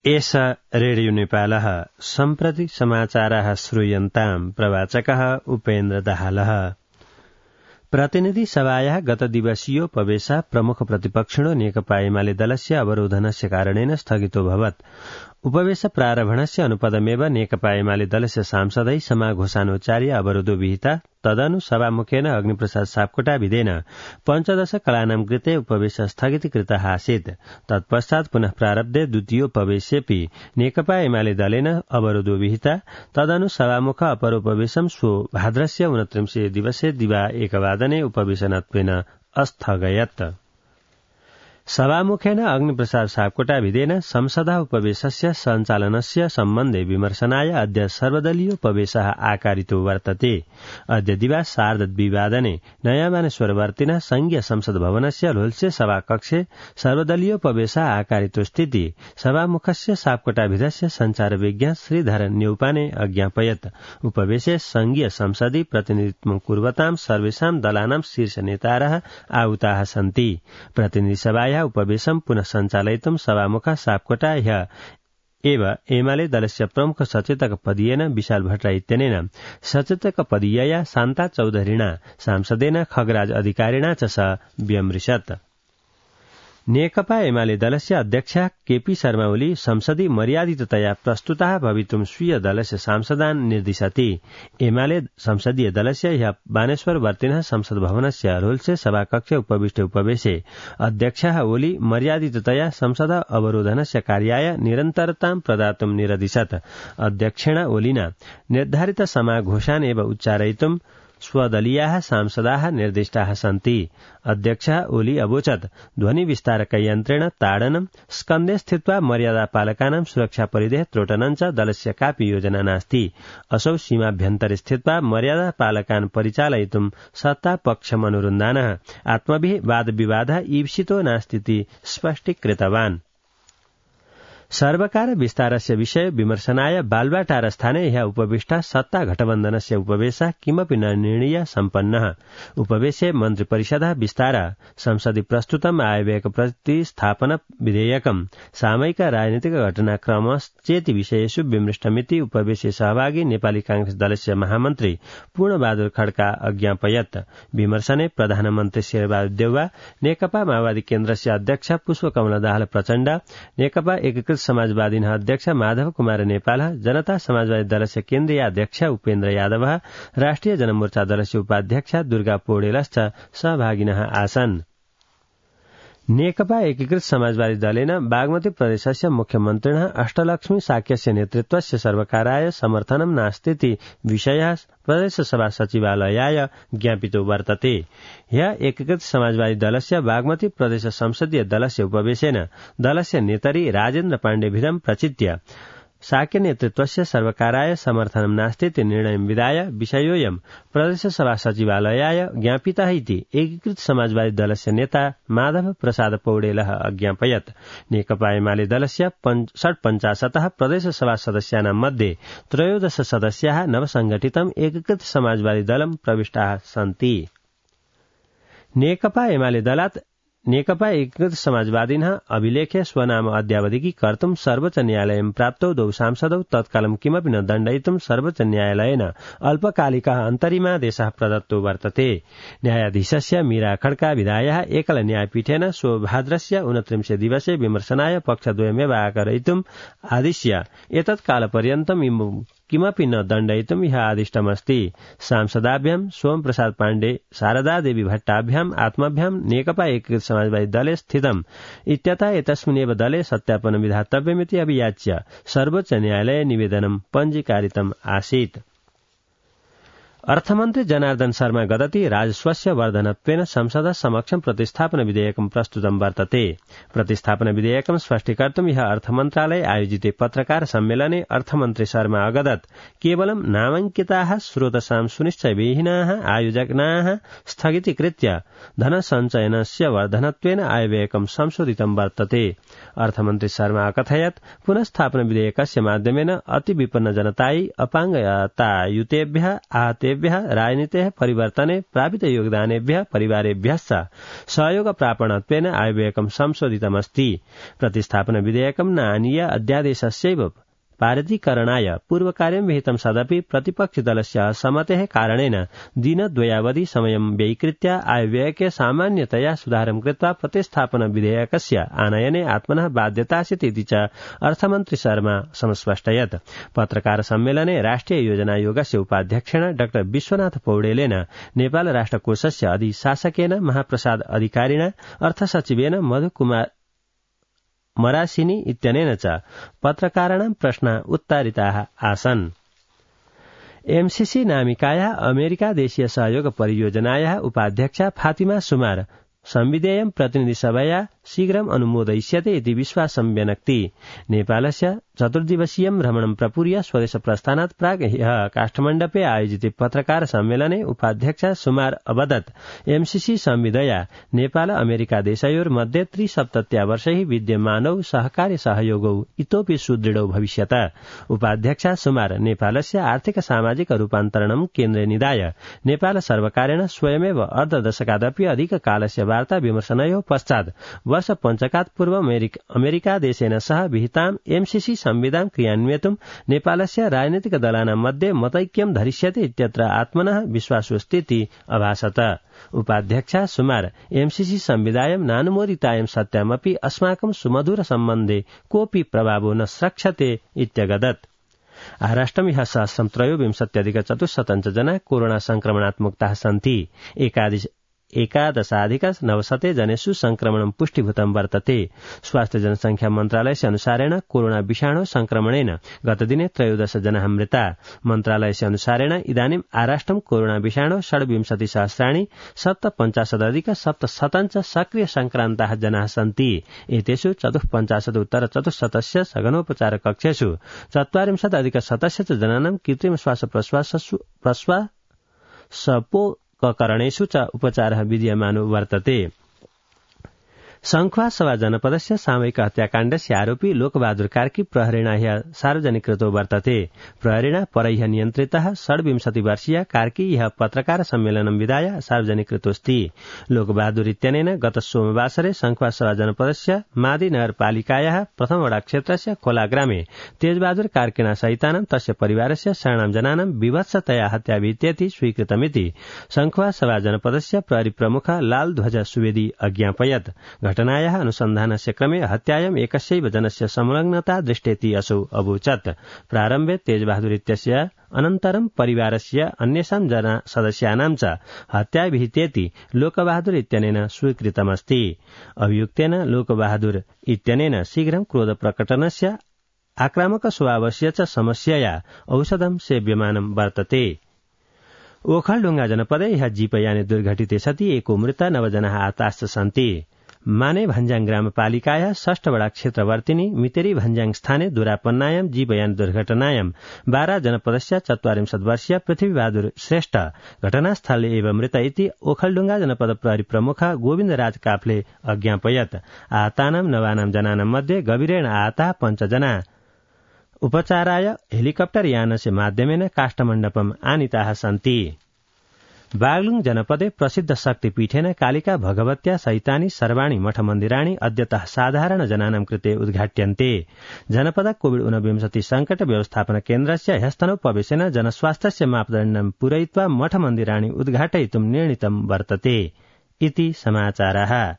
एष रेडियो नेपालः सम्प्रति समाचाराः श्रूयन्ताम् प्रवाचकः उपेन्द्र दाहालः। प्रतिनिधि सभायाः गत दिवसीयोपवेशः प्रमुख प्रतिपक्षिणो नेकपा एमाले दलस्य अवरोधनस्य कारणेन स्थगितोऽभवत्। उपवेश प्रारम्भणस्य अनुपदमेव नेकपा एमाले दलस्य सांसदै समाघोषानुचार्य अवरोधो विहिता। तदनु सभामुखेन अग्निप्रसाद सापकोटाभिधेन पञ्चदश कलानां कृते उपवेश स्थगितीकृतः आसीत्। तत्पश्चात् पुनः प्रारब्धे द्वितीयोपवेशेऽपि नेकपा एमाले दलेन अवरोधो विहिता। तदनु सभामुख अपरोपवेशं श्वो भाद्रस्य 29 दिवसे दिवा 1 वादने उपवेशनत्वेन अस्थगयत्। सभामुखेन अग्निप्रसाद सापकोटाभिधेन संसदः उपवेशस्य सञ्चालनस्य सम्बन्धे विमर्शनाय अद्य सर्वदलीयोपवेशः आकारितो वर्तते। अद्य दिवा 2:30 नयाँ मानेश्वरवर्तिनः संघीय संसद भवनस्य लोल्से सभाकक्षे सर्वदलीयोपवेशः आकारितो स्थिति सभामुखस्य सापकोटाभिधस्य सञ्चारविज्ञ श्रीधर न्यौपाने अज्ञापयत्। उपवेशे संघीय संसदि प्रतिनिधित्वं कुर्वतां सर्वेषां दलानां शीर्ष नेतारः आहुताः सन्ति। प्रतिनिधि सभायाः उपवेशं पुनः सञ्चालयितुं सभामुखः सापकोटा एव एमाले दलस्य प्रमुख सचेतक पदीयेन विशाल भट्टराई इत्यनेन सचेतक पदीयया शान्ता चौधरीणा सांसदेन खगराज अधिकारिणा च स व्यमृशत्। नेकपा एमाले दलस्य अध्यक्षा केपी शर्मा ओली संसदि मर्यादिततया प्रस्तुताः भवितुं स्वीय दलस्य सांसदान् निर्दिशति। एमाले संसदीय दलस्य ह्यः बानेश्वरवर्तिनः संसद भवनस्य रोल्से सभाकक्षे उपविष्टे उपवेशे अध्यक्षः ओली मर्यादिततया संसद अवरोधनस्य कार्याय निरन्तरतां प्रदातुं निरदिशत्। अध्यक्षेण ओलिना निर्धारित समाघोषान् एव उच्चारयितुं स्वदलीयाः सांसदाः निर्दिष्टाः सन्ति। अध्यक्षः ओली अवोचत् ध्वनि विस्तारकयन्त्रेण ताडनं स्कन्धे स्थित्वा मर्यादापालकानां सुरक्षापरिधेः त्रोटनं च दलस्य कापि योजना नास्ति। असौ सीमाभ्यन्तरे स्थित्वा मर्यादापालकान् परिचालयितुं सत्तापक्षमनुरुन्धानः आत्मभिः वादविवादः ईप्सितो नास्तीति स्पष्टीकृतवान्। सर्वकार विस्तारस्य विषय विमर्शनाय बालुवाटार स्थाने ह्यः उपविष्टा सत्ता गठबन्धनस्य उपवेशः किमपि न निर्णीय सम्पन्नः। उपवेशे मन्त्रिपरिषदः विस्तार संसदि प्रस्तुतम् आयव्ययक प्रतिस्थापन विधेयकं सामयिक राजनीतिक घटनाक्रमश्चेति विषयेषु विमृष्टमिति उपवेशे सहभागी नेपाली कांग्रेस दलस्य महामन्त्री पूर्णबहादुर खड्का अज्ञापयत्। विमर्शने प्रधानमन्त्री शेरबहादुर देउवा, नेकपा माओवादी केन्द्रस्य अध्यक्ष पुष्पकमल दाहाल प्रचण्ड, नेकपा एकीकृत समाजवादीनः अध्यक्ष माधव कुमार नेपाल, जनता समाजवादी दलस्य केन्द्रीय अध्यक्ष उपेन्द्र यादव, राष्ट्रिय जनमोर्चा दलस्य उपाध्यक्ष दुर्गा पौडेलश्च सहभागिनः आसन्। नेकपा एकीकृत समाजवादी दलेन बागमती प्रदेशस्य मुख्यमन्त्रिणः अष्टलक्ष्मी साक्यस्य नेतृत्वस्य सर्वकाराय समर्थनं नास्तीति विषयः प्रदेशसभा सचिवालयाय ज्ञापितो वर्तते। ह्यः एकीकृत समाजवादी दलस्य बागमती प्रदेश संसदीय दलस्य उपवेशेन दलस्य नेतरि राजेन्द्र पाण्डेभिदं प्रचित्य साक्य नेतृत्वस्य सर्वकाराय समर्थनं नास्तीति निर्णयं विधाय विषयोऽयं प्रदेशसभा सचिवालयाय ज्ञापितः इति एकीकृत समाजवादी दलस्य नेता माधव प्रसाद पौडेलः अज्ञापयत्। नेकपा एमाले दलस्य 50 प्रदेशसभा सदस्यानां मध्ये 13 सदस्याः नवसंगठितम् एकीकृत समाजवादी दलं प्रविष्टाः सन्ति। नेकपा एमाले दलात् नेकपा एकीकृत समाजवादिनः अभिलेखे स्वनाम अद्यावधिकी कर्तुं सर्वोच्च न्यायालयं प्राप्तौ द्वौ सांसदौ तत्कालं किमपि न दण्डयितुं सर्वोच्च न्यायालयेन अल्पकालिकः अन्तरिमादेशः प्रदत्तो वर्तते। न्यायाधीशस्य मीरा खड्का विधायः एकल न्यायपीठेन श्वो भाद्रस्य 29 दिवसे विमर्शनाय पक्षद्वयमेव आकारयितुम् आदिश्य एतत् कालपर्यन्तं किमपि न दण्डयितुं ह्यः आदिष्टमस्ति। सांसदाभ्यां सोम प्रसाद पाण्डे, शारदा देवी भट्टाभ्याम् आत्माभ्यां नेकपा एकीकृत समाजवादी दले स्थितम् इत्यतः एतस्मिन्नेव दले सत्यापनं विधातव्यमिति अभियाच्य सर्वोच्च न्यायालये निवेदनं पञ्जीकारितम् आसीत्। अर्थमन्त्री जनार्दन शर्मा गदति राजस्वस्य वर्धनत्वेन संसदः समक्षं प्रतिस्थापन विधेयकं प्रस्तुतं वर्तते। प्रतिस्थापन विधेयकं स्पष्टीकर्तुं ह्यः अर्थमन्त्रालये आयोजिते पत्रकार सम्मेलने अर्थमन्त्री शर्मा अगदत् केवलं नामाङ्किताः स्रोतसां सुनिश्चयविहीनाः आयोजनाः स्थगितीकृत्य धनसञ्चयनस्य वर्धनत्वेन आयव्ययकं संशोधितं वर्तते। अर्थमन्त्री शर्मा अकथयत् पुनस्थापन विधेयकस्य माध्यमेन अति विपन्न जनतायै अपाङ्गतायुतेभ्यः आहतेभ्यः जनेभ्यः राजनीतेः परिवर्तने प्रापित योगदानेभ्यः परिवारेभ्यश्च सहयोग प्रापणत्वेन आयव्ययकं संशोधितमस्ति। प्रतिस्थापन विधेयकं न आनीय अध्यादेशस्यैव पारितीकरणाय पूर्वकार्यं विहितं सदपि प्रतिपक्षिदलस्य असम्मतेः कारणेन दिनद्वयावधि समयं व्ययीकृत्य आयव्ययके सामान्यतया सुधारं कृत्वा प्रतिस्थापन विधेयकस्य आनयने आत्मनः बाध्यतासीत् इति च अर्थमन्त्री शर्मा समस्पष्टयत्। पत्रकार सम्मेलने राष्ट्रिय योजनायोगस्य उपाध्यक्षेण डा विश्वनाथ पौडेलेन नेपाल राष्ट्रकोषस्य अधिशासकेन महाप्रसाद अधिकारिणा अर्थसचिवेन मधुकुमार मरासिनी इत्यनेन च पत्रकाराणां प्रश्नाः उत्तरिताः आसन्। एमसीसी नामिकायाः अमेरिका देशीय सहयोग परियोजनायाः उपाध्यक्षा फातिमा सुमार संविधेयं प्रतिनिधिसभया शीघ्रम् अनुमोदयिष्यते इति विश्वासं व्यनक्ति। नेपालस्य चतुर्दिवसीयं भ्रमणं प्रपूर्य स्वदेश प्रस्थानात् प्राक् ह्यः काष्ठमण्डपे आयोजिते पत्रकार सम्मेलने उपाध्यक्षा सुमार अवदत् एमसीसी संविधया नेपाल अमेरिका देशयोर्मध्ये 73 वर्षैः विद्यमानौ सहकार्य सहयोगौ इतोपि सुदृढौ भविष्यत। उपाध्यक्षा सुमार नेपालस्य आर्थिक सामाजिक रूपान्तरणं केन्द्रे निधाय नेपाल सर्वकारेण स्वयमेव अर्धदशकादपि अधिककालस्य वार्ता विमर्शनयोः पश्चात् वर्ष पञ्चकात् पूर्व अमेरिका देशेन सह विहिताम् एमसीसी संविधां क्रियान्वयितुं नेपालस्य राजनीतिक दलानां मध्ये मतैक्यं धरिष्यते इत्यत्र आत्मनः विश्वासोऽस्तीति अभासत। उपाध्यक्षा सुमार एमसीसी संविधायं नानुमोदितायं सत्यामपि अस्माकं सुमधुर सम्बन्धे कोऽपि प्रभावो न स्रक्ष्यते इत्यगदत्। आराष्ट्रं ह्यः 1323,400 जना कोरोना संक्रमणात् मुक्ताः सन्ति। 11,900 जनेषु संक्रमणं पुष्टिभूतं वर्तते। स्वास्थ्य जनसंख्या मन्त्रालयस्य अनुसारेण कोरोना विषाणु संक्रमणेन गतदिने 13 जनाः मृता। मन्त्रालयस्य अनुसारेण इदानीं आराष्ट्रं कोरोना विषाणु 56,750,770 सक्रिय संक्रान्ताः जनाः सन्ति। एतेषु 54,उत्तर-400 सघनोपचार कक्षेषु 40,000 जनानां कृत्रिम श्वासप्रश्वासोपकरणेषु च उपचारः विद्यमानो वर्तते। संख्वासभा जनपदस्य सामूहिक हत्याकाण्डस्य आरोपी लोकबहादुर कार्की प्रहरेण ह्यः सार्वजनिकृतो वर्तते। प्रहरेण परैः नियन्त्रितः 26 वर्षीय कार्की ह्यः पत्रकार सम्मेलनं विधाय सार्वजनिकृतोऽस्ति। लोकबहादुर इत्यनेन गत सोमवासरे संख्वासभा जनपदस्य मादी नगरपालिकायाः प्रथमवडा क्षेत्रस्य खोलाग्रामे तेजबहादुर कार्किणा सहितानां तस्य परिवारस्य शरणां जनानां विभत्सतया हत्या विहितेति स्वीकृतमिति संख्वासभा जनपदस्य प्रहरी प्रमुख लालध्वज सुवेदी अज्ञापयत्। घटनायाः अनुसन्धानस्य क्रमे हत्यायाम् एकस्यैव जनस्य संलग्नता दृष्टेति असौ अवोचत्। प्रारम्भे तेजबहादुर इत्यस्य अनन्तरं परिवारस्य अन्येषां सदस्यानां च हत्या विहितेति लोकबहादुर इत्यनेन स्वीकृतमस्ति। अभियुक्तेन लोकबहादुर इत्यनेन शीघ्रं क्रोध प्रकटनस्य आक्रामक स्वभावस्य च समस्यया औषधं सेव्यमानं वर्तते। ओखलढुङ्गा जनपदे ह्यः जीपयाने दुर्घटिते सति एको मृत 9 जनाः आताश्च सन्ति। माने भन्ज्याङ ग्रामपालिकायाः 6 वडा क्षेत्रवर्तिनी मितेरी भन्ज्याङ स्थाने दुरापन्नायां जीवयान दुर्घटनायां 12 जनपदस्य 44 वर्षीय पृथ्वीबहादुर श्रेष्ठ घटनास्थले एव मृत इति ओखलढुङ्गा जनपद प्रहरी प्रमुख गोविन्दराज काफले अज्ञापयत्। आहतानां 9 जनानां मध्ये गभीरेण आहताः 5 जना उपचाराय हेलिकप्टर यानस्य माध्यमेन काष्ठमण्डपम् आनीताः सन्ति। बागलुङ जनपदे प्रसिद्ध शक्तिपीठेन कालिका भगवत्या सहितानि सर्वाणि मठमन्दिराणि अद्यतः साधारण जनानां कृते उद्घाट्यन्ते। जनपद कोविड-19 संकट व्यवस्थापन केन्द्रस्य ह्यस्तनोपवेशेन जनस्वास्थ्यस्य मापदण्डं पूरयित्वा मठमन्दिराणि उद्घाटयितुं निर्णीतं वर्तते इति समाचारः।